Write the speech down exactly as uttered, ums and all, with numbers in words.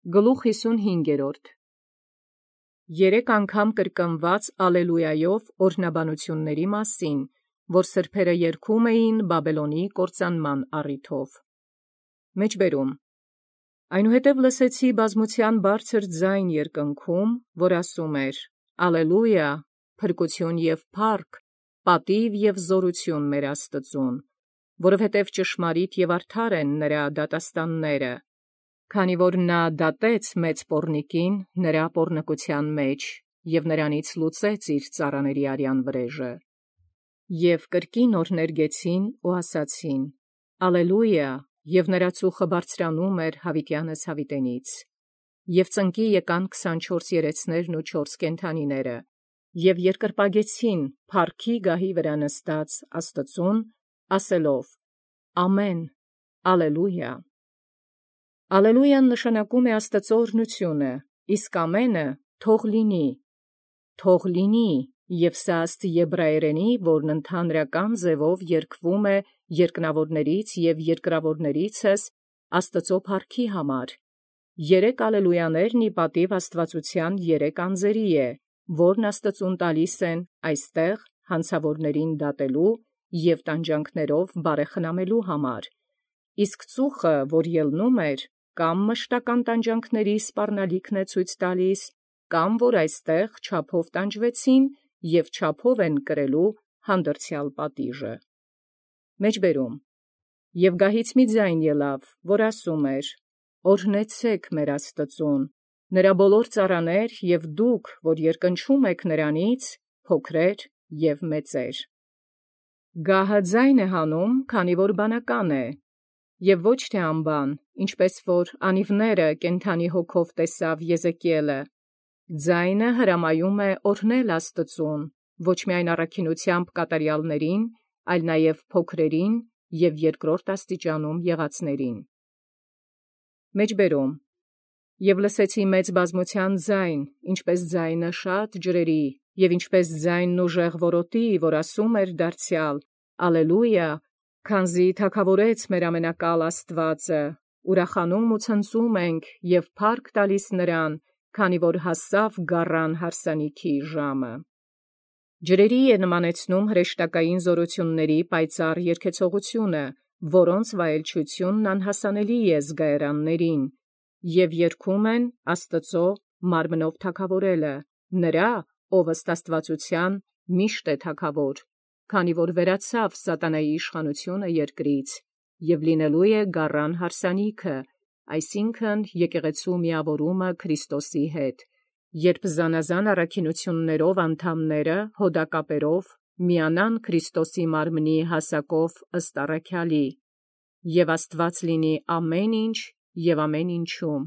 Գլուխ հիսունհինգերորդ. Երեք անգամ կրկնված ալելույայով օրհնաբանությունների մասին, որ սրբերը երգում էին Բաբելոնի կործանման առիթով։ Մեջբերում. Այնուհետև լսեցի բազմության բարձր ձայն երկնքում, որ ասում էր. Ալելույա, փրկություն և փառք, պատիվ և զորություն մեր Աստծուն, որովհետև ճշմարիտ և արդար են նրա դատաստանները, քանի որ նա դատեց մեծ պոռնիկին նրա պոռնկության մեջ և նրանից լուծեց իր ծառաների արյան վրեժը։ Եվ կրկին օրհներգեցին ու ասացին. Ալելույա, և նրա ծուխը բարձրանում էր յաւիտյանս յաւիտենից։ Եւ ծնկի եկան քսանչորս երեցներն ու չորս կենդանիները, և երկրպագեցին փառքի գահի վրա նստած Աստծուն, ասելով. Ամեն, ալելույա։ Ալելույան նշանակում է Աստծու օրհնությունը, իսկ ամենը թող լինի, թող լինի, և սա ըստ եբրայերենի, որն ընդհանրական ձևով երգվում է երկնավորներից և երկրավորներիցս Աստծու փառքի համար։ Երեք ալելույաներն ի պատիւ աստվածության երեք անձերի է, որն Աստծուն տալիս են այստեղ հանցավորներին դատելու և տանջանքներով բարեխնամելու համար, իսկ ծուխը, որ ելնում էր, կամ մշտական տանջանքների սպառնալիքն է ցույց տալիս, կամ որ այստեղ չափով տանջվեցին և չափով են կրելու հանդրձյալ պատիժը։ Մեջբերում. Եւ գահից մի ձայն ելավ, որ ասում էր. Օրհնեցե՛ք մեր Աստծուն, նրա բոլոր ծառաներ և դուք, որ երկնչում եք նրանից, փոքրեր և մեծեր։ Գահը ձայն է հանում, քանի որ բանական է, և ոչ թե անբան, ինչպես որ անիվները կենդանի հոգով տեսավ Եզեկիէլը։ Ձայնը հրամայում է օրհնել Աստծուն, ոչ միայն առաքինութեամբ կատարյալներին, այլ նաև փոքրերին և երկրորդ աստիճանում եղածներին։ Մեջբերում. Եւ լսեցի մեծ բազմության ձայն, ինչպես ձայնը շատ ջրերի, և ինչպես ձայնն ուժեղ որոտի, որ ասում էր դարձյալ. Ալելույա, քանզի թագաւորեց մեր ամենակալ Աստուածը, ուրախանում ու ցնծում ենք և փառք տալիս նրան, քանի որ հասավ գառան հարսանիքի ժամը։ Ջրերի է նմանեցնում հրեշտակային զորությունների պայծառ երգեցողությունը, որոնց վայելչութիւնն անհասանելի է զգայարաններին, և երգում են Աստծու մարմնով թագաւորելը, նրա, ով ըստ աստվածության միշտ է թագաւոր, քանի որ վերացավ սատանայի իշխանությունը երկրից, և լինելու է գառան հարսանիքը, այսինքն եկեղեցու միավորումը Քրիստոսի հետ, երբ զանազան առաքինութիւններով անդամները հոդակապերով միանան Քրիստոսի մարմնի հասակով ըստ առաքյալի, և Աստուած լինի ամեն ինչ և ամեն ինչում։